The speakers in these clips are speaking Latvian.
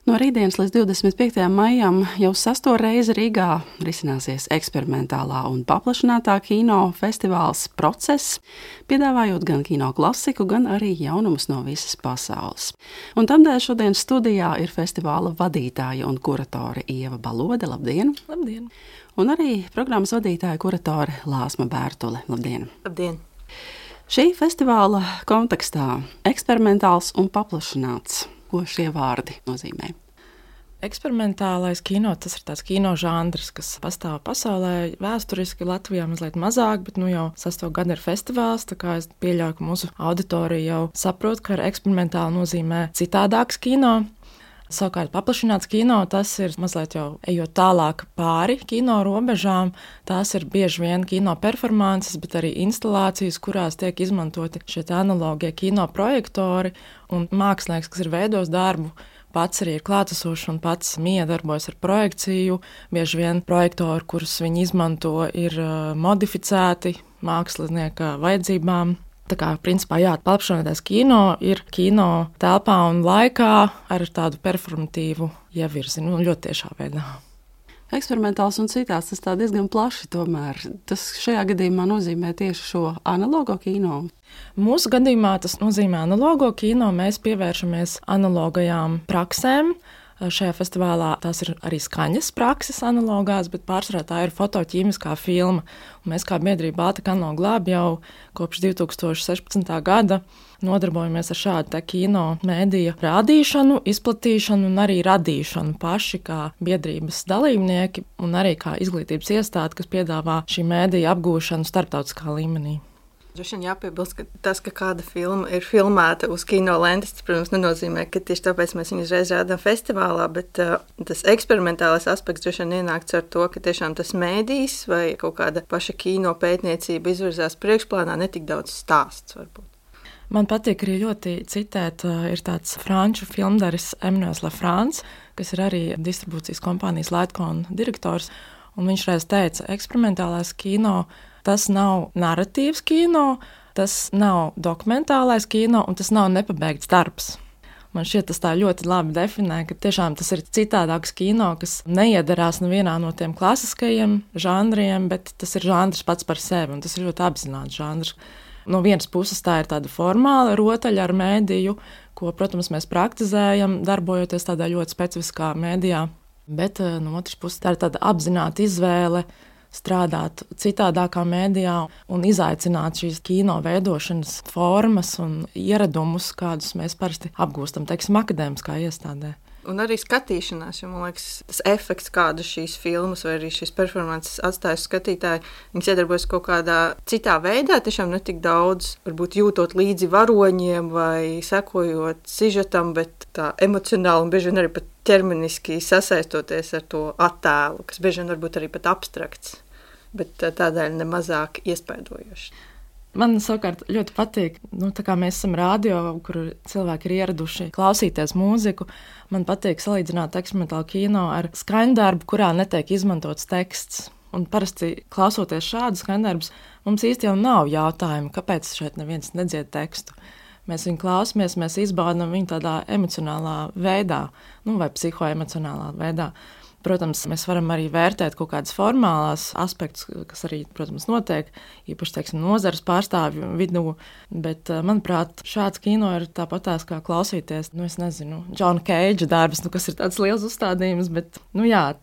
No rītdienas līdz 25. maijam jau 6. reizi Rīgā risināsies eksperimentālā un paplašinātā kino festivāls Process, piedāvājot gan kino klasiku, gan arī jaunumus no visas pasaules. Un tamdēļ šodien studijā ir festivāla vadītāja un kuratore Ieva Balode. Labdien! Labdien! Un arī programmas vadītāja kuratore Lāsma Bērtule. Labdien! Labdien! Šī festivāla kontekstā eksperimentāls un paplašināts. Ko šie vārdi nozīmē? Eksperimentālais kino, tas ir tāds kino žanrs, kas pastāv pasaulē. Vēsturiski Latvijā mazliet mazāk, bet jau 6. gadu ir festivāls, tā kā es pieļauju, ka mūsu auditorija jau saprot, ka eksperimentāli nozīmē citādāks kino. Savukārt paplašināts kino, tas ir mazliet jau ejot tālāk pāri kino robežām. Tās ir bieži vien kino performances, bet arī instalācijas, kurās tiek izmantoti šie analogie kino projektori un mākslinieks, kas ir veidojis darbu. Pats arī ir klātesošs un pats miedarbojas ar projekciju. Bieži vien projektori, kurus viņi izmanto, ir modificēti mākslinieka vajadzībām. Tā kā, principā, paplašinātais kino ir kino telpā un laikā ar tādu performatīvu ievirzi, ļoti tiešā veidā. Eksperimentāls un citās, tas tā diezgan plaši tomēr. Tas šajā gadījumā nozīmē tieši šo analogo kino. Mūsu gadījumā tas nozīmē analogo kino. Mēs pievēršamies analogajām praksēm. Šajā festivālā tās ir arī skaņas prakses analogās, bet pārsvarā tā ir fotoķīmiskā filma. Un mēs kā biedrība Baltika Analoga Lab jau kopš 2016. gada nodarbojamies ar šādu kino mēdīja rādīšanu, izplatīšanu un arī radīšanu paši kā biedrības dalībnieki un arī kā izglītības iestāde, kas piedāvā šī mēdīja apgūšanu starptautiskā līmenī. Droši vien jāpiebilst, ka tas, ka kāda filma ir filmēta uz kino lentes, tas, protams, nenozīmē, ka tieši tāpēc mēs viņu uzreiz rādām festivālā, bet tas eksperimentālais aspekts droši vien ienākts ar to, ka tiešām tas mēdījis vai kaut kāda paša kino pētniecība izvirzās priekšplānā, ne tik daudz stāsts varbūt. Man patīk arī ļoti citēt, ir tāds franču filmdaris Emmanuels Lafrance, kas ir arī distribūcijas kompānijas Lightcon direktors, un viņš reiz teica, eksperimentālais kino tas nav narratīvs kino, tas nav dokumentālais kino un tas nav nepabeigts darbs. Man šķiet, tas tā ļoti labi definē, ka tiešām tas ir citādāks kino, kas neiedarās nevienā no tiem klasiskajiem žanriem, bet tas ir žanrs pats par sevi un tas ir ļoti apzināts žanrs. No vienas puses tā ir tāda formāla rotaļa ar mēdīju, ko, protams, mēs praktizējam, darbojoties tādā ļoti specifiskā mēdījā, bet no otras puses tā ir tāda apzināta izvēle strādāt citādākā mēdījā un izaicināt šīs kino veidošanas formas un ieradumus, kādus mēs parasti apgūstam, teiksim, akadēmiskā iestādē. Un arī skatīšanās, jo, man liekas, tas efekts, kādu šīs filmas vai arī šīs performances atstāja skatītāji, viņas iedarbojas kaut kādā citā veidā, tiešām ne tik daudz, varbūt jūtot līdzi varoņiem vai sekojot sižetam, bet tā emocionāli un bieži vien arī pat ķermeniski sasaistoties ar to attēlu, kas bieži vien varbūt arī pat abstrakts, bet tādēļ nemazāk iespaidojoši. Man savukārt ļoti patīk, tā kā mēs esam radio, kur cilvēki ir ieraduši klausīties mūziku, man patīk salīdzināt eksperimentālu kino ar skaņdarbu, kurā netiek izmantots teksts. Un parasti klausoties šādu skaņdarbus, mums īsti jau nav jautājumu, kāpēc šeit neviens nedzied tekstu. Mēs viņu klausamies, mēs izbaudām viņu tādā emocionālā veidā, vai psihoemocionālā veidā. Protams, mēs varam arī vērtēt kaut kādas formālās aspektus, kas arī, protams, notiek, īpaši, teiksim, nozares pārstāvju vidū, bet, manuprāt, šāds kino ir tāpatās kā klausīties, es nezinu, Džona Keidža darbs, kas ir tāds liels uzstādījums, bet,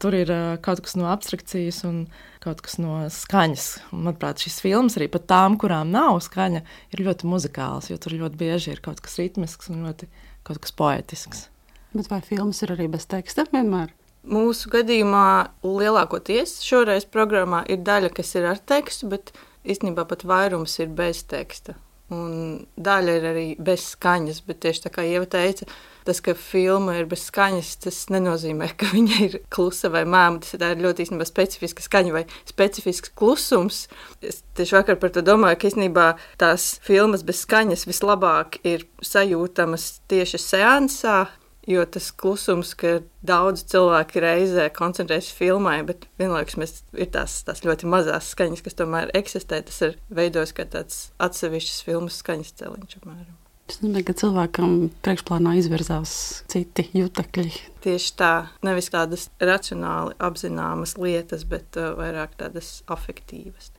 tur ir kaut kas no abstrakcijas un kaut kas no skaņas. Un, manuprāt, šis filmas arī pat tām, kurām nav skaņa, ir ļoti muzikāls, jo tur ļoti bieži ir kaut kas ritmisks un ļoti kaut kas poetisks. Bet vai filmas ir arī bez teksta vienmēr? Mūsu gadījumā lielākoties šoreiz programmā ir daļa, kas ir ar tekstu, bet īstenībā pat vairums ir bez teksta. Un daļa ir arī bez skaņas, bet tieši tā kā Ieva teica, tas, ka filma ir bez skaņas, tas nenozīmē, ka viņa ir klusa vai mēma. Tas ir ļoti īstenībā specifiska skaņa vai specifisks klusums. Es tieši vakar par to domāju, ka īstenībā tās filmas bez skaņas vislabāk ir sajūtamas tieši seansā, jo tas klusums, ka daudz cilvēki reizē koncentrējas filmai, bet vienlaikus ir tās ļoti mazās skaņas, kas tomēr eksistē, tas ir veidojis kā tāds atsevišķs filmas skaņas celiņš, apmēram. Tas nozīmē, ka cilvēkam priekšplānā izvirzās citi jutekļi. Tieši tā, nevis tādas racionāli apzināmas lietas, bet vairāk tādas afektīvas.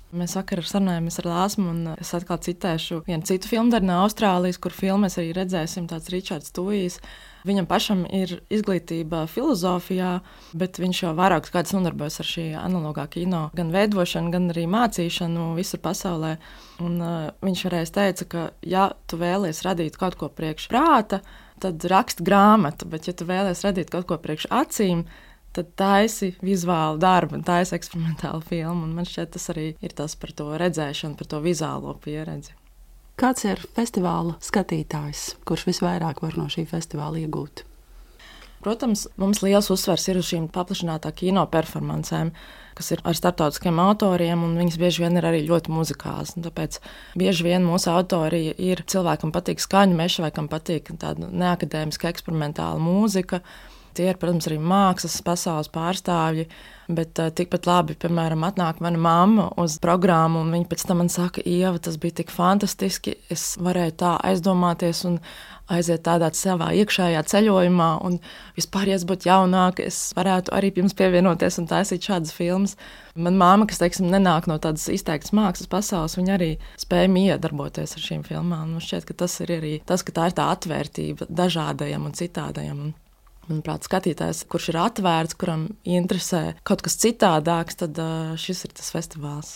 Mēs vakar sarunājāmies ar Lāsmu, un es atkal citēšu vienu citu filmu no Austrālijas, kur filmu mēs arī redzēsim, tāds Ričards Tujijs. Viņam pašam ir izglītība filozofijā, bet viņš jau vairākus gadus nodarbojas ar šī analogā kino, gan veidošanu, gan arī mācīšanu visur pasaulē. Un viņš reiz teica, ka ja tu vēlies radīt kaut ko priekš prāta, tad raksti grāmatu, bet ja tu vēlies radīt kaut ko priekš acīm, tad taisi vizuālu darbu, taisi eksperimentālu filmu. Un man šķiet, tas arī ir tas par to redzēšanu, par to vizuālo pieredzi. Kāds ir festivāla skatītājs, kurš visvairāk var no šī festivāla iegūt? Protams, mums liels uzsvers ir uz šīm paplašinātā kino performancēm, kas ir ar starptautiskiem autoriem, un viņas bieži vien ir arī ļoti muzikāls. Tāpēc bieži vien mūsu autori ir cilvēki, kam patīk skaņu meša vai kam patīk tāda neakadēmiska eksperimentāla mūzika. Tie ir, protams, arī mākslas pasaules pārstāvji, bet tikpat labi, piemēram, atnāk mana mamma uz programmu, un viņa pēc tam man saka, Ieva, tas bija tik fantastiski, es varēju tā aizdomāties un aiziet tādā savā iekšējā ceļojumā, un vispār, ja es būtu jaunāka, es varētu arī jums pievienoties un taisīt šādas filmas. Man mamma, kas, teiksim, nenāk no tādas izteiktas mākslas pasaules, viņa arī spēja miedarboties ar šīm filmām. Man šķiet, ka tas ir arī tas, ka tā ir tā atvērtība dažādajam un citādajam. Manuprāt, skatītājs, kurš ir atvērts, kuram interesē kaut kas citādāks, tad šis ir tas festivāls.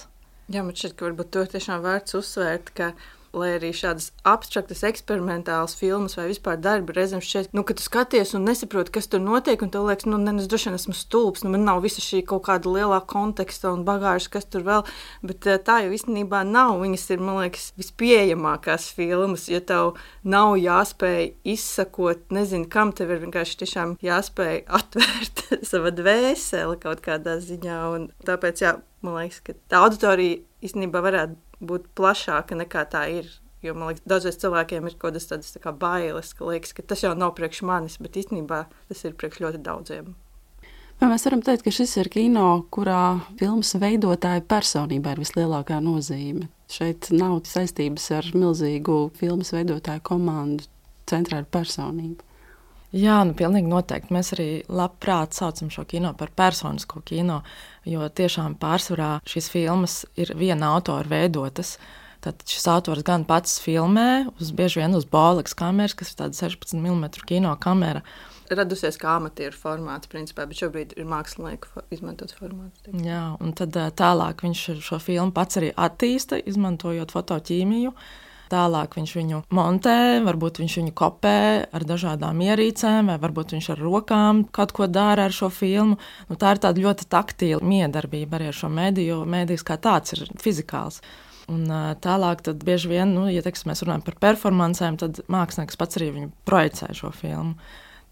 Jā, man šķiet, ka varbūt to tiešām vērts uzsvērt, ka lai arī šādas abstraktas, eksperimentālas filmas vai vispār darbi reizēm šķiet, ka tu skaties un nesaproti, kas tur notiek, un tev liekas, es droši vien esmu stulbs, man nav visa šī kaut kāda lielā konteksta un bagāžas, kas tur vēl, bet tā jau īstenībā nav. Viņas ir, man liekas, vispieejamākās filmas, ja tev nav jāspēj izsakot, nezinu, kam tev ir vienkārši tiešām jāspēj atvērt sava dvēseli kaut kādā ziņā, un tāpēc, jā, man liekas, ka tā auditorija īstenībā varētu būt plašāka nekā tā ir. Jo, man liekas, dažreiz cilvēkiem ir kaut kādas tādas kā bailes, ka liekas, ka tas jau nav priekš manis, bet īstenībā tas ir priekš ļoti daudziem. Vai mēs varam teikt, ka šis ir kino, kurā filmas veidotāja personībā ir vislielākā nozīme? Šeit nav saistības ar milzīgu filmas veidotāju komandu, centrā ir personība. Jā, pilnīgi noteikti. Mēs arī labprāt saucam šo kino par personisko kino, jo tiešām pārsvarā šīs filmas ir viena autora veidotas. Tad šis autors gan pats filmē, bieži vien uz Bolex kameras, kas ir tāda 16 mm kino kamera. Radusies kā amatieru formāts, principā, bet šobrīd ir mākslinieku izmantots formāts. Jā, un tad tālāk viņš šo filmu pats arī attīsta, izmantojot fotoķīmiju. Tālāk viņš viņu montē, varbūt viņš viņu kopē ar dažādām ierīcēm, vai varbūt viņš ar rokām kaut ko dara ar šo filmu. Tā ir tāda ļoti taktīla miedarbība arī ar šo mediju, jo medijs kā tāds ir fizikāls. Un tālāk tad bieži vien, ja mēs runājam par performancēm, tad mākslinieks pats arī viņu projicē šo filmu.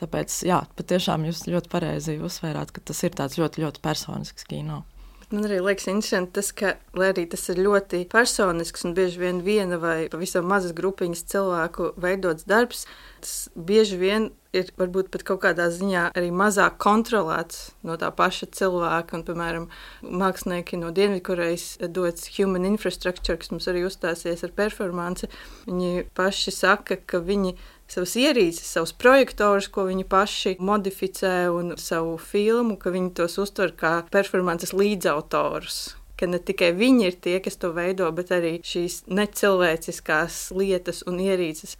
Tāpēc, jā, patiešām jūs ļoti pareizi uzsvērāt, ka tas ir tāds ļoti, ļoti personisks kino. Man arī liekas interesanti tas, ka, lai arī tas ir ļoti personisks un bieži vien viena vai pavisam mazas grupiņas cilvēku veidots darbs, tas bieži vien ir varbūt pat kaut kādā ziņā arī mazāk kontrolēts no tā paša cilvēka. Un, piemēram, mākslinieki no Dienvidkorejas dots Human Infrastructure, kas mums arī uzstāsies ar performanci, viņi paši saka, ka viņi savas ierīces, savus projektorus, ko viņi paši modificē un savu filmu, ka viņi tos uztver kā performances līdzautorus. Ka ne tikai viņi ir tie, kas to veido, bet arī šīs necilvēciskās lietas un ierīces,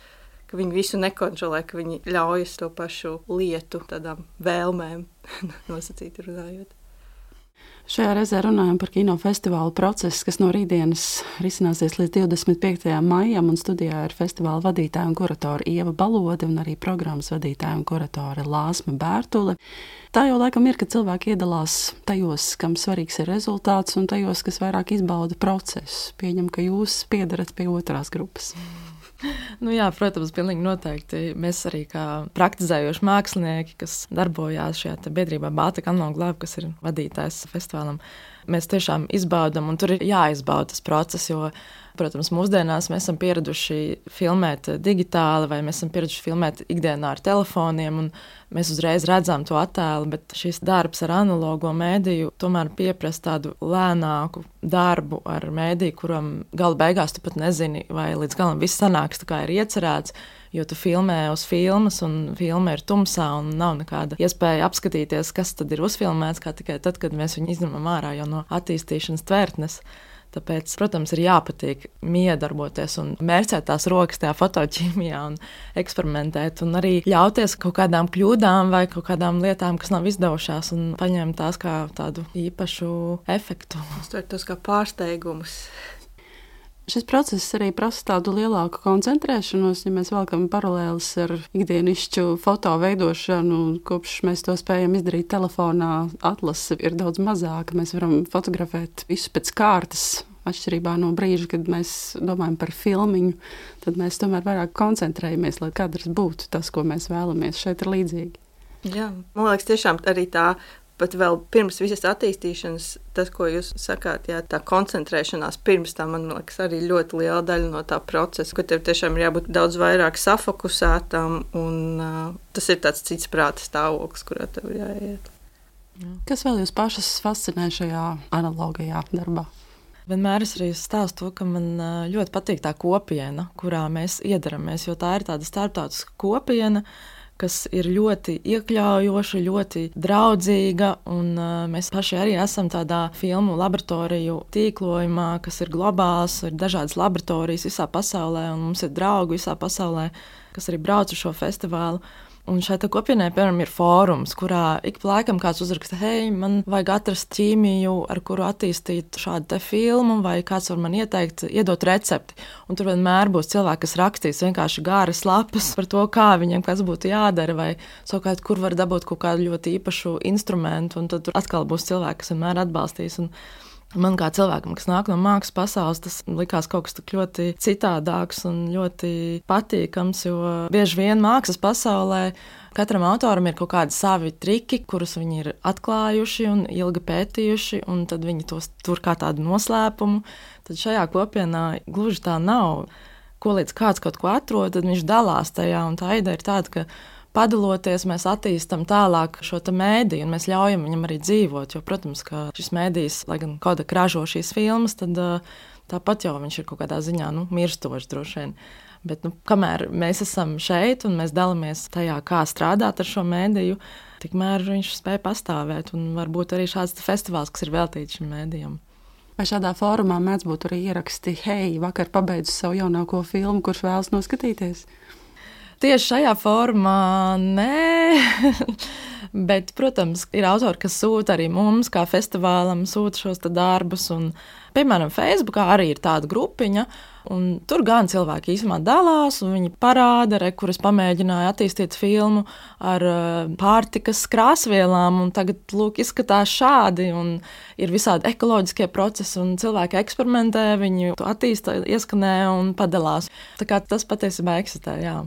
ka viņi visu nekontrolē, ka viņi ļaujas to pašu lietu tādām vēlmēm nosacīti runājot. Šajā reizē runājam par kinofestivālu procesu, kas no rītdienas risināsies līdz 25. maijam, un studijā ir festivāla vadītāja un kuratore Ieva Balode un arī programmas vadītāja un kuratore Lāsma Bērtule. Tā jau laikam ir, ka cilvēki iedalās tajos, kam svarīgs ir rezultāts, un tajos, kas vairāk izbauda procesu. Pieņem, ka jūs piedarat pie otrās grupas. Jā, protams, pilnīgi noteikti. Mēs arī kā praktizējoši mākslinieki, kas darbojās šajā biedrībā Baltika Analog Lab, kas ir vadītājs festivālam, mēs tiešām izbaudam, un tur ir jāizbauda tas process, jo, protams, mūsdienās mēs esam pieraduši filmēt digitāli, vai mēs esam pieraduši filmēt ikdienā ar telefoniem, un mēs uzreiz redzam to attēlu, bet šis darbs ar analogo mēdīju tomēr pieprasa tādu lēnāku darbu ar mēdīju, kuram gala beigās tu pat nezini, vai līdz galam viss sanāks tā kā ir iecerēts, jo tu filmē uz filmas, un filma ir tumsā, un nav nekāda iespēja apskatīties, kas tad ir uzfilmēts, kā tikai tad, kad mēs viņu izņemam ārā jau no attīstīšanas tvertnes. Tāpēc, protams, ir jāpatīk miedarboties un mērcēt tās rokas tajā fotoķīmijā un eksperimentēt, un arī ļauties kaut kādām kļūdām vai kaut kādām lietām, kas nav izdevušās, un paņemt tās kā tādu īpašu efektu. Uztvert tos kā pārsteigumus. Šis process arī prasa tādu lielāku koncentrēšanos, ja mēs velkam paralēlis ar ikdienišķu foto veidošanu. Kopš mēs to spējam izdarīt telefonā, atlase ir daudz mazāka. Mēs varam fotografēt visu pēc kārtas. Atšķirībā no brīža, kad mēs domājam par filmiņu, tad mēs tomēr vairāk koncentrējamies, lai kadrs būtu tas, ko mēs vēlamies. Šeit ir līdzīgi. Jā, man liekas, tiešām arī tā. Pat vēl pirms visas attīstīšanas, tas, ko jūs sakāt, jā, tā koncentrēšanās pirms tam, man liekas, arī ļoti liela daļa no tā procesa, ka tev tiešām ir jābūt daudz vairāk safokusētam, un tas ir tāds cits prāta stāvoklis, kurā tev ir jāiet. Kas vēl jūs pašas fascinē šajā analogajā darbā? Vienmēr es arī stāstu to, ka man ļoti patīk tā kopiena, kurā mēs iedaramies, jo tā ir tāda starptautiska kopiena, kas ir ļoti iekļaujoša, ļoti draudzīga, un mēs paši arī esam tādā filmu laboratoriju tīklojumā, kas ir globāls, ir dažādas laboratorijas visā pasaulē, un mums ir draugi visā pasaulē, kas arī brauc uz šo festivālu. Un šai kopienai, piemēram, ir fórums, kurā ik pa laikam kāds uzraksta, hei, man vajag atrast ķīmiju, ar kuru attīstīt šādu te filmu, vai kāds var man ieteikt, iedot recepti. Un tur vienmēr būs cilvēki, kas rakstīs vienkārši gāras lapas par to, kā viņiem kas būtu jādara, vai savukārt, kur var dabūt kaut kādu ļoti īpašu instrumentu, un tad tur atkal būs cilvēki, kas vienmēr atbalstīs. Un man kā cilvēkam, kas nāk no mākslas pasaules, tas likās kaut kas tik ļoti citādāks un ļoti patīkams, jo bieži vien mākslas pasaulē katram autoram ir kaut kādi savi triki, kurus viņi ir atklājuši un ilgi pētījuši, un tad viņi tos tur kā tādu noslēpumu. Tad šajā kopienā gluži tā nav. Ko līdz kāds kaut ko atrod, tad viņš dalās tajā, un tā ideja ir tāda, ka padaloties, mēs attīstam tālāk šo mēdīju, un mēs ļaujam viņam arī dzīvot. Jo, protams, ka šis mēdījis, lai gan Kodak ražo šīs filmas, tad tāpat jau viņš ir kaut kādā ziņā mirstošs droši vien. Bet kamēr mēs esam šeit un mēs dalāmies tajā, kā strādāt ar šo mēdīju, tikmēr viņš spēj pastāvēt. Un varbūt arī šāds festivāls, kas ir veltīts šim mēdījam. Vai šādā fórumā mēdz būt arī ieraksti, hei, vakar pabeidzu savu jaunāko filmu, kurš vēlas noskatīties? Tieši šajā formā nē, bet, protams, ir autori, kas sūta arī mums, kā festivālam, sūta šos darbus. Un, piemēram, Facebookā arī ir tāda grupiņa, un tur gan cilvēki īsumā dalās, un viņi parāda, kuras pamēģināja attīstīt filmu ar pārtikas krāsvielām, un tagad, lūk, izskatās šādi, un ir visādi ekoloģiskie procesi, un cilvēki eksperimentē, viņi to attīsta, ieskanē un padalās. Tā kā tas patiesībā eksistē, jā.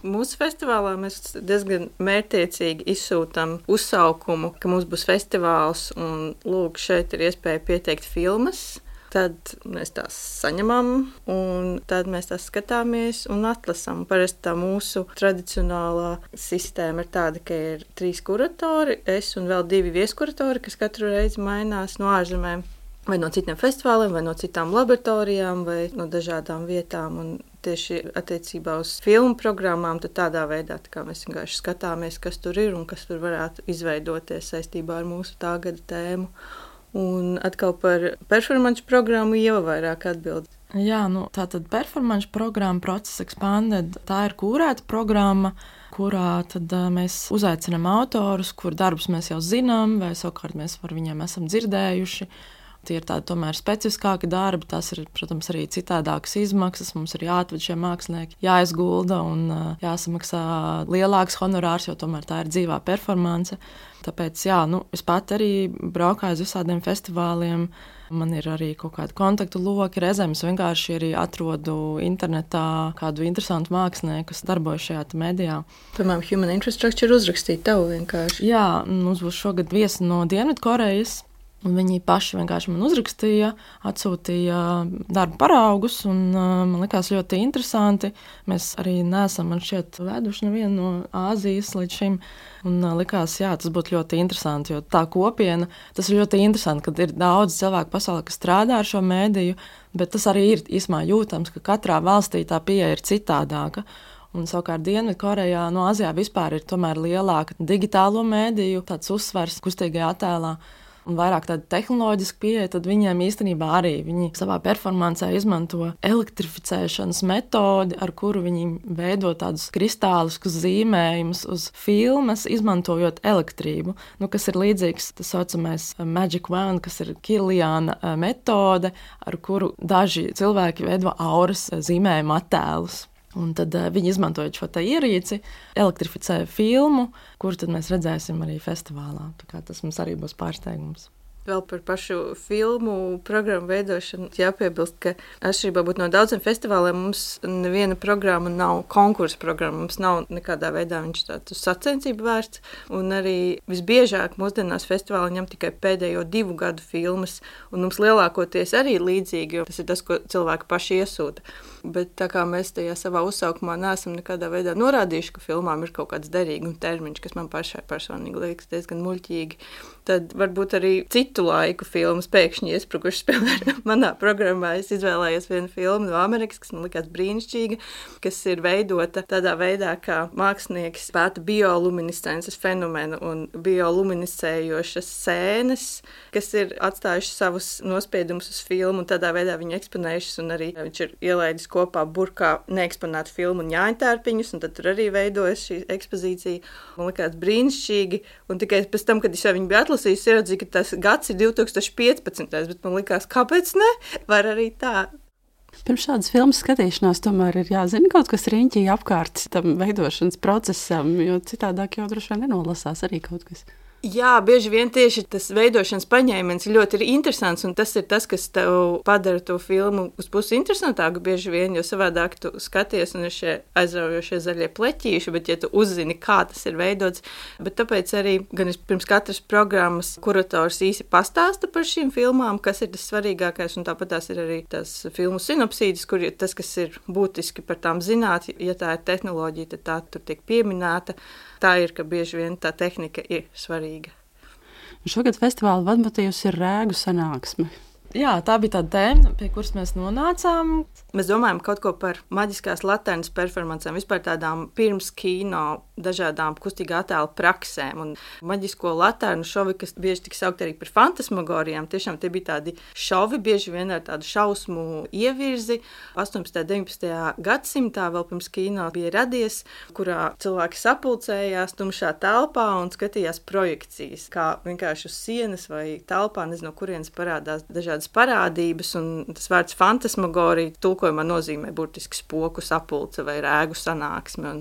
Mūsu festivālā mēs diezgan mērķtiecīgi izsūtām uzsaukumu, ka mums būs festivāls un lūk, šeit ir iespēja pieteikt filmas. Tad mēs tās saņemam, un tad mēs tās skatāmies un atlasām. Parasti tā mūsu tradicionālā sistēma ir tāda, ka ir 3 kuratori, es un vēl 2 vieskuratori, kas katru reizi mainās no ārzemēm. Vai no citiem festivāliem, vai no citām laboratorijām, vai no dažādām vietām. Un tieši attiecībā uz filmu programmām, tad tādā veidā tā kā mēs vienkārši skatāmies, kas tur ir un kas tur varētu izveidoties saistībā ar mūsu tā gada tēmu. Un atkal par performance programmu Ieva vairāk atbild. Jā, tātad performance programma Process Expanded, tā ir kūrēta programma, kurā tad mēs uzaicinām autorus, kur darbus mēs jau zinām, vai savukārt mēs par viņiem esam dzirdējuši. Tie ir tādi tomēr specifiskāki darbi, tas ir, protams, arī citādākas izmaksas, mums ir jāatved šie mākslinieki, jāizgulda un jāsamaksā lielāks honorārs, jo tomēr tā ir dzīvā performance. Tāpēc, jā, es pat arī braukāju uz visādiem festivāliem, man ir arī kaut kādi kontaktu loki, reizēm es vienkārši arī atrodu internetā kādu interesantu mākslinieku, kas darbojas šajā medijā. Piemēram, Human Infrastructure uzrakstīt tev vienkārši. Jā, mums būs šogad viesi no Dienvidkorejas. Un viņi paši vienkārši man uzrakstīja, atsūtīja darba paraugus, un man likās ļoti interesanti. Mēs arī neesam, man šķiet, veduši nevienu no Āzijas līdz šim. Un likās, jā, tas būtu ļoti interesanti, jo tā kopiena, tas ir ļoti interesanti, kad ir daudz cilvēku pasaulē, kas strādā ar šo mēdīju, bet tas arī ir īsumā jūtams, ka katrā valstī tā pieeja ir citādāka. Un savukārt Dienvidkorejā, no Āzijā vispār ir tomēr lielāka digitālo mēdīju, tāds uzsvars kustīgajā attēlā. Un vairāk tāda tehnoloģiska pieeja, tad viņiem īstenībā arī viņi savā performancē izmanto elektrificēšanas metodi, ar kuru viņi veido tādus kristāliskus zīmējumus uz filmas, izmantojot elektrību, kas ir līdzīgs tas saucamais Magic Wand, kas ir Kirliāna metode, ar kuru daži cilvēki veido auras zīmējumu attēlus. Un tad viņi izmantojot šo ierīci, elektrificēja filmu, kuru tad mēs redzēsim arī festivālā. Tā kā tas mums arī būs pārsteigums. Vēl par pašu filmu programmu veidošanu jāpiebilst, ka atšķirībā no daudziem festivāliem mums neviena programma nav konkursa programma. Mums nav nekādā veidā viņš tāds uz sacensību vērsts. Un arī visbiežāk mūsdienās festivāli ņem tikai pēdējo 2 gadu filmas. Un mums lielākoties arī līdzīgi, jo tas ir tas, ko cilvēki paši iesūta. Bet tā kā mēs tajā savā uzsaukumā neesam nekādā veidā norādījuši, ka filmām ir kaut kāds derīguma termiņš, kas man pašai personīgi liekas diezgan muļķīgi, tad varbūt arī citu laiku filmas pēkšņi iesprukušas. Piemēram, manā programmā es izvēlējos vienu filmu no Amerikas, kas man likās brīnišķīga, kas ir veidota tādā veidā, kā mākslinieks pēta bioluminescences fenomenu un bioluminescējošas sēnes, kas ir atstājušas savus nospiedumus uz filmu un tādā veidā viņu eksponējušas, un arī viņš ir ielaidis kopā burkā neeksponētu filmu un ņāņtērpiņus, un tad tur arī veidojas šī ekspozīcija. Man likās brīnišķīgi, un tikai pēc tam, kad es jau viņu biju atlasījis, ieraudzīju, ka tas gads ir 2015. Bet man likās, kāpēc ne? Var arī tā. Pirms šādas filmas skatīšanās tomēr ir jāzina kaut kas riņķī apkārt tam veidošanas procesam, jo citādāk jau droši vien nenolasās arī kaut kas. Jā, bieži vien tieši tas veidošanas paņēmiens ļoti interesants, un tas ir tas, kas tev padara to filmu uz pusi interesantāku bieži vien, jo savādāk tu skaties un ir šie aizraujošie zaļie pleķīši, bet ja tu uzzini, kā tas ir veidots, bet tāpēc arī gan pirms katras programmas kurators īsi pastāsta par šīm filmām, kas ir tas svarīgākais, un tāpat tās ir arī tās filmu sinopsīdes, kur tas, kas ir būtiski par tām zināt, ja tā ir tehnoloģija, tad tā tur tiek pieminēta. Tā ir, ka bieži vien tā tehnika ir svarīga. Šogad festivāla vadmotīvs ir rēgu sanāksme. Jā, tā bija tā tēma, pie kuras mēs nonācām. Mēs domājam kaut ko par maģiskās laternas performancēm, vispār tādām pirms kino dažādām kustīgā attēla praksēm. Un maģisko laternu šovi, kas bieži tika saukt arī par fantasmagorijām, tiešām tie bija tādi šovi, bieži vien ar tādu šausmu ievirzi. 18. un 19. gadsimtā vēl pirms kino bija radies, kurā cilvēki sapulcējās tumšā telpā un skatījās projekcijas, kā vienkārši uz sienas vai telpā, nezinu, no kurienes parādās dažādas parādības, un tas vārds fantasmagorija tulkojumā nozīmē burtiski spoku sapulce vai rēgu sanāksme. Un,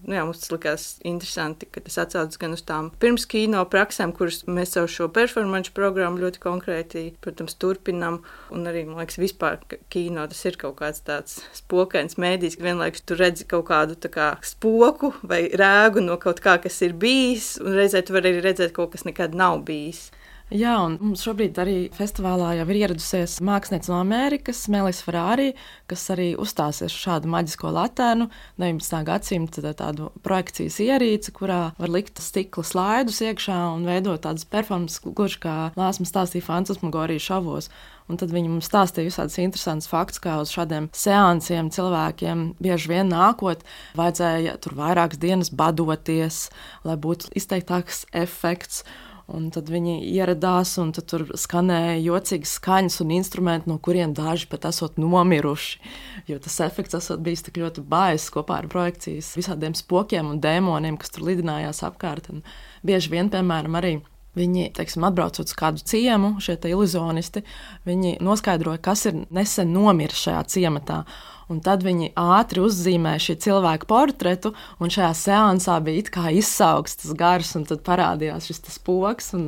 mums tas likās interesanti, ka tas atsaucas gan uz tām pirms kino praksēm, kuras mēs savu šo performance programmu ļoti konkrēti, protams, turpinam, un arī, man liekas, vispār kino tas ir kaut kāds tāds spokains mēdījis, ka vienlaikus tu redzi kaut kādu tā kā spoku vai rēgu no kaut kā, kas ir bijis, un reizē tu vari arī redzēt kaut kas nekad nav bijis. Jā, un mums šobrīd arī festivālā jau ir ieradusies mākslinieca no Amerikas, Melissa Ferrari, kas arī uzstāsies šādu maģisko laternu, 19. gadsimta tādu projekcijas ierīci, kurā var likt stikla slaidus iekšā un veidot tādas performances, gluži kā Lāsma stāstīja fantasmagoriju šovos. Un tad viņi mums stāstīja visādus interesantus faktus, kā uz šādiem seansiem cilvēkiem bieži vien nākot, vajadzēja tur vairākas dienas badoties, lai būtu izteiktāks efekts. Un tad viņi ieradās, un tur skanēja jocīgas skaņas un instrumenti, no kuriem daži pat esot nomiruši. Jo tas efekts esot bijis tik ļoti baiss kopā ar projekcijas visādiem spokiem un dēmoniem, kas tur lidinājās apkārt. Un bieži vien, piemēram, arī viņi, atbraucot uz kādu ciemu, šie iluzionisti, viņi noskaidroja, kas ir nesen nomiris šajā ciematā. Un tad viņi ātri uzzīmēja šī cilvēka portretu, un šajā seansā bija it kā izsaukts tas gars, un tad parādījās šis spoks, un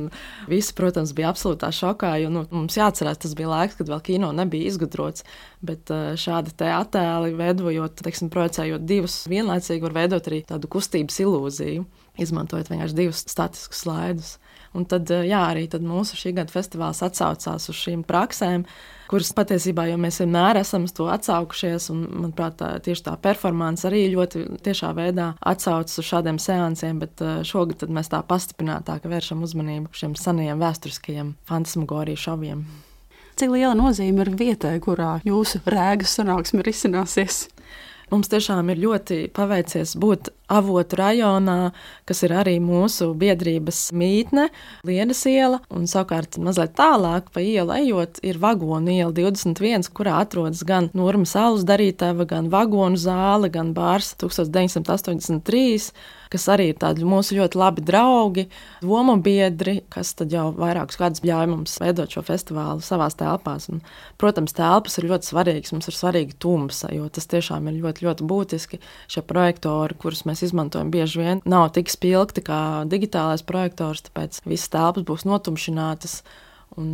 visi, protams, bija absolūtā šokā, jo mums jāatcerās, tas bija laiks, kad vēl kino nebija izgudrots, bet šādi te attēli veidojot, projicējot divus vienlaicīgi, var veidot arī tādu kustības ilūziju. izmantojot vienkārši 2 statiskus slaidus. Un tad, arī tad mūsu šī gada festivāls atsaucās uz šīm praksēm, kuras patiesībā jau mēs vienmēr esam uz to atsaukušies, un, manuprāt, tieši tā performance arī ļoti tiešā veidā atsaucas uz šādiem seansiem, bet šogad tad mēs tā pastiprinātāk vēršam uzmanību šiem senajiem vēsturiskajiem fantasmagoriju šoviem. Cik liela nozīme ir vietai, kurā jūsu rēgas sanāksme risināsies? Mums tiešām ir ļoti paveicies būt Avotu rajonā, kas ir arī mūsu biedrības mītne, Lienas iela, un savukārt mazliet tālāk pa ielu ejot ir Vagonu iela 21, kurā atrodas gan Nurma saules darītava, gan vagonu zāle, gan bārs 1983, kas arī ir tādi mūsu ļoti labi draugi, domu biedri, kas tad jau vairākus gadus ļauj mums veidot šo festivālu savās telpās. Un, protams, telpas ir ļoti svarīgas, mums ir svarīga tumsa, jo tas tiešām ir ļoti, ļoti būtiski. Šie projektori, kurus mēs izmantojam bieži vien, nav tik spilgti kā digitālais projektors, tāpēc visas telpas būs notumšinātas, un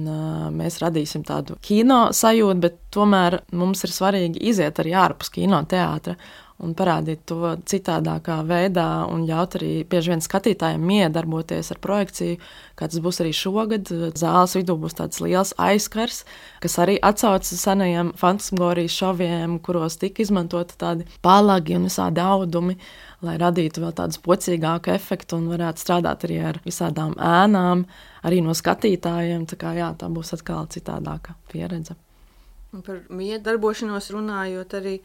mēs radīsim tādu kino sajūtu, bet tomēr mums ir svarīgi iziet arī ārpus kinoteātra un parādīt to citādākā veidā un ļaut arī bieži vien skatītājiem miedarboties ar projekciju, kā tas būs arī šogad. Zāles vidū būs tāds liels aizkars, kas arī atsaucas senajiem fantasmagorijas šoviem, kuros tika izmantoti tādi palagi un visādi audumi, lai radītu vēl tādu spocīgāku efektu un varētu strādāt arī ar visādām ēnām, arī no skatītājiem. Tā kā tā būs atkal citādāka pieredze. Un par miedarbošanos runājot, arī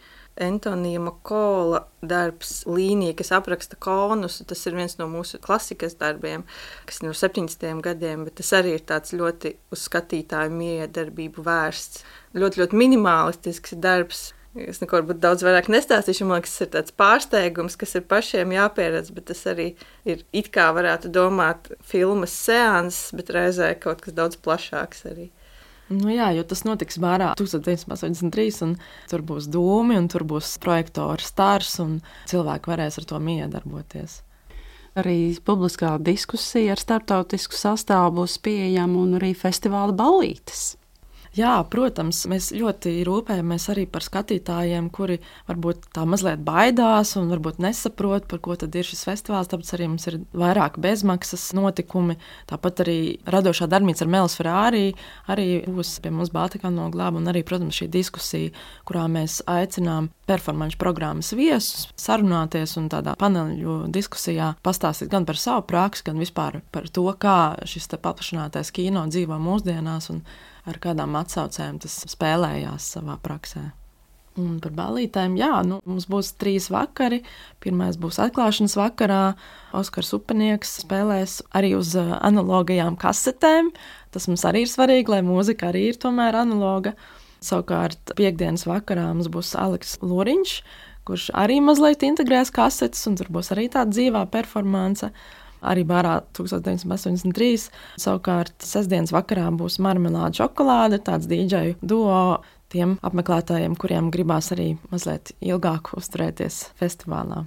Antonija Makola darbs Līnija, kas apraksta konus, tas ir viens no mūsu klasikas darbiem, kas ir no 70. gadiem, bet tas arī ir tāds ļoti uz skatītāju miedarbību vērsts. Ļoti, ļoti minimalistisks darbs. Es neko varbūt daudz vairāk nestāstīšu, man liekas, tas ir tāds pārsteigums, kas ir pašiem jāpieredz, bet tas arī ir it kā varētu domāt filmas seanses, bet reizē kaut kas daudz plašāks arī. Nu jā, jo tas notiks bārā 1983, un tur būs dūmi, un tur būs projektora stars, un cilvēki varēs ar to miedarboties. Arī publiskā diskusija ar starptautisku sastāvu būs pieejama un arī festivāla ballītes. Jā, protams, mēs ļoti rūpējamies arī par skatītājiem, kuri varbūt tā mazliet baidās un varbūt nesaprot, par ko tad ir šis festivāls, tāpēc arī mums ir vairāk bezmaksas notikumi. Tāpat arī radošā darbnīca ar Melis Ferrari arī būs pie mums Baltikāno glāba, un arī, protams, šī diskusija, kurā mēs aicinām performanču programmas viesus sarunāties un tādā paneļu diskusijā pastāstīt gan par savu praksi, gan vispār par to, kā šis te paplašinātais kino dzīvo mūsdienās un ar kādām atsaucēm tas spēlējās savā praksē. Un par ballītēm, mums būs 3 vakari. Pirmais būs atklāšanas vakarā. Oskars Upenieks spēlēs arī uz analogajām kasetēm. Tas mums arī ir svarīgi, lai mūzika arī ir tomēr analoga. Savukārt piekdienas vakarā mums būs Aleks Loriņš, kurš arī mazliet integrēs kasetes, un tur būs arī tāda dzīvā performance. Arī bārā 1983. Savukārt sestdienas vakarā būs Marmelāde šokolāde, tāds dīdžeju duo tiem apmeklētājiem, kuriem gribās arī mazliet ilgāk uzturēties festivālā.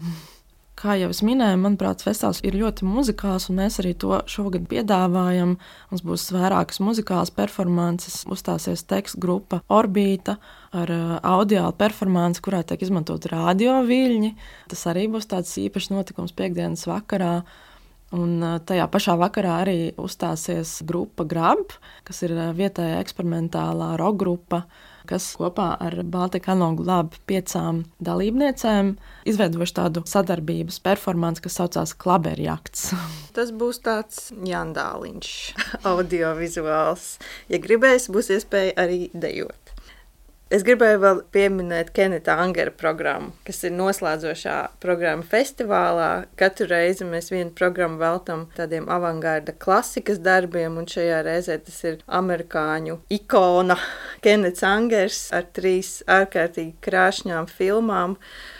Kā jau es minēju, manuprāt, festivāls ir ļoti muzikāls, un mēs arī to šogad piedāvājam. Mums būs vairākas muzikālas performances, uzstāsies tekstu grupa Orbīta ar audiālu performanci, kurā tiek izmantot radio viļņi. Tas arī būs tāds īpašs notikums piekdienas vakarā. Un tajā pašā vakarā arī uzstāsies grupa Grab, kas ir vietējā eksperimentālā rock grupa, kas kopā ar Baltikāno glābu 5 dalībniecēm izveidojuši tādu sadarbības performanci, kas saucās Klaberjakts. Tas būs tāds jandāliņš, audiovizuāls. Ja gribēs, būs iespēja arī dejot. Es gribēju vēl pieminēt Keneta Angera programmu, kas ir noslēdzošā programma festivālā. Katru reizi mēs vienu programmu veltam tādiem avangārda klasikas darbiem, un šajā reizē tas ir amerikāņu ikona Kenets Angers ar 3 ārkārtīgi krāšņām filmām,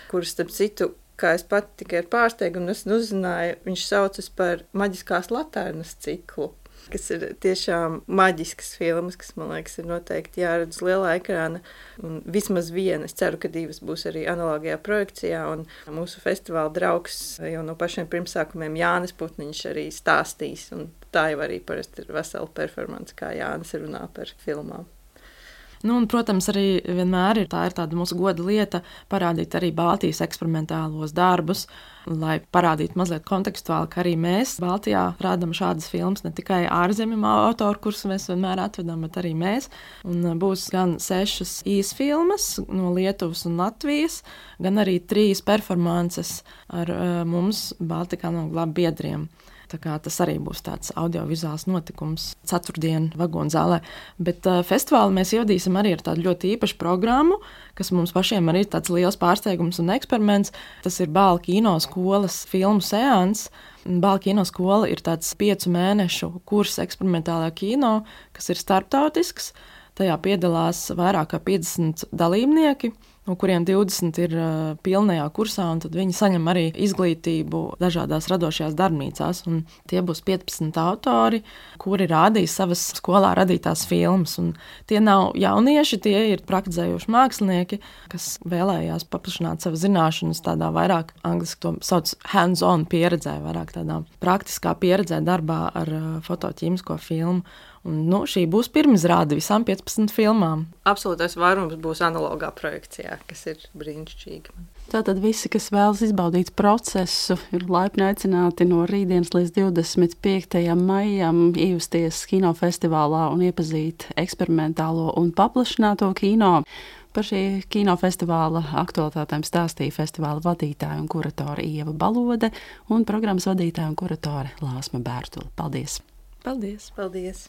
kuras, starp citu, kā es pat tikai ar pārsteigumu uzzināju, viņš saucas par Maģiskās latērnas ciklu, kas ir tiešām maģiskas filmas, kas, man liekas, ir noteikti jāredz lielā ekrāna. Un vismaz viena, es ceru, ka 2 būs arī analogajā projekcijā, un mūsu festivāla draugs jau no pašiem pirmsākumiem Jānis Putniņš arī stāstīs, un tā jau arī parasti ir vesela performance, kā Jānis runā par filmām. Nu, un, protams, arī vienmēr ir tāda mūsu goda lieta parādīt arī Baltijas eksperimentālos darbus, lai parādītu mazliet kontekstuāli, ka arī mēs Baltijā rādām šādas filmas, ne tikai ārzemju autori, kurus mēs vienmēr atvedam, bet arī mēs. Un būs gan 6 īsfilmas no Lietuvas un Latvijas, gan arī 3 performances ar mums Baltikā no biedriem. Tā kā tas arī būs tāds audiovizuāls notikums 4. Vagonzālē. Bet festivālu mēs ievadīsim arī ar tādu ļoti īpašu programmu, kas mums pašiem arī ir tāds liels pārsteigums un eksperiments. Tas ir Bāla kino skolas filmu seans. Bāla kino skola ir tāds 5 mēnešu kurs eksperimentālajā kino, kas ir starptautisks. Tajā piedalās vairāk kā 50 dalībnieki, no kuriem 20 ir pilnajā kursā, un tad viņi saņem arī izglītību dažādās radošajās darbnīcās. Un tie būs 15 autori, kuri rādīs savas skolā radītās filmas. Un tie nav jaunieši, tie ir praktizējoši mākslinieki, kas vēlējās paplašināt savas zināšanas tādā vairāk, angliski to sauc hands-on pieredzē, vairāk tādā praktiskā pieredzē darbā ar fotoķīmisko filmu. Un, šī būs pirmizrāde visām 15 filmām. Absolūtais vairums būs analogā projekcijā, kas ir brīnišķīgi. Tātad visi, kas vēlas izbaudīt procesu, ir laipni aicināti no rītdienas līdz 25. maijam iejusties kinofestivālā un iepazīt eksperimentālo un paplašināto kino. Par šī kinofestivāla aktualitātēm stāstīja festivāla vadītāja un kuratore Ieva Balode un programmas vadītāja un kuratore Lāsma Bērtule. Paldies! Paldies! Paldies!